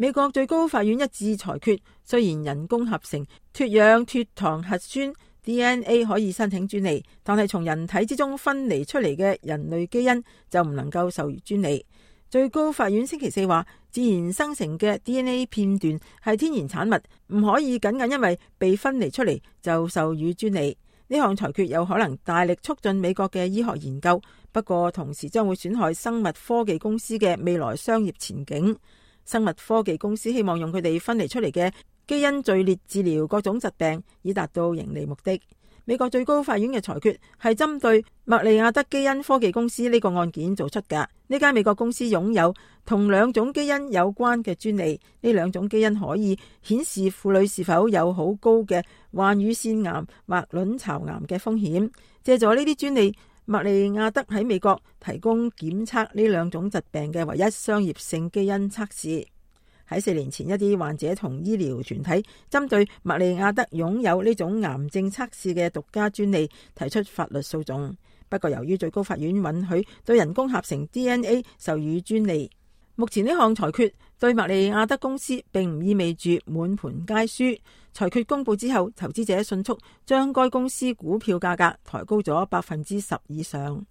美國最高法院一致裁決，雖然人工合成脫氧脫糖核酸 DNA 可以申請專利，但係從人體之中分離出嚟嘅人類基因就唔能夠授予專利。最高法院星期四話，自然生成嘅 DNA 片段係天然產物，唔可以僅僅因為被分離出嚟就授予專利。呢項裁決有可能大力促進美國嘅醫學研究，不過同時將會損害生物科技公司嘅未來商業前景。生物科技公司希望用佢哋分離出嚟嘅基因序列治療各種疾病，以達到盈利目的。美國最高法院嘅裁決係針對麥利亞德基因科技公司呢個案件做出㗎。呢間美國公司擁有同兩種基因有關嘅專利，呢兩種基因可以顯示婦女是否有好高嘅患乳腺癌或卵巢癌嘅風險。借助呢啲專利，麥利亞德喺美國提供檢測呢兩種疾病嘅唯一商業性基因測試。喺4年前，一啲患者同醫療團體針對麥利亞德擁有呢種癌症測試嘅獨家專利提出法律訴訟。不過由於最高法院允許對人工合成 DNA 授予專利，目前呢項裁決對麥利亞德公司並唔意味住滿盤皆輸。裁決公布之後，投資者迅速將該公司股票價格抬高咗10%以上。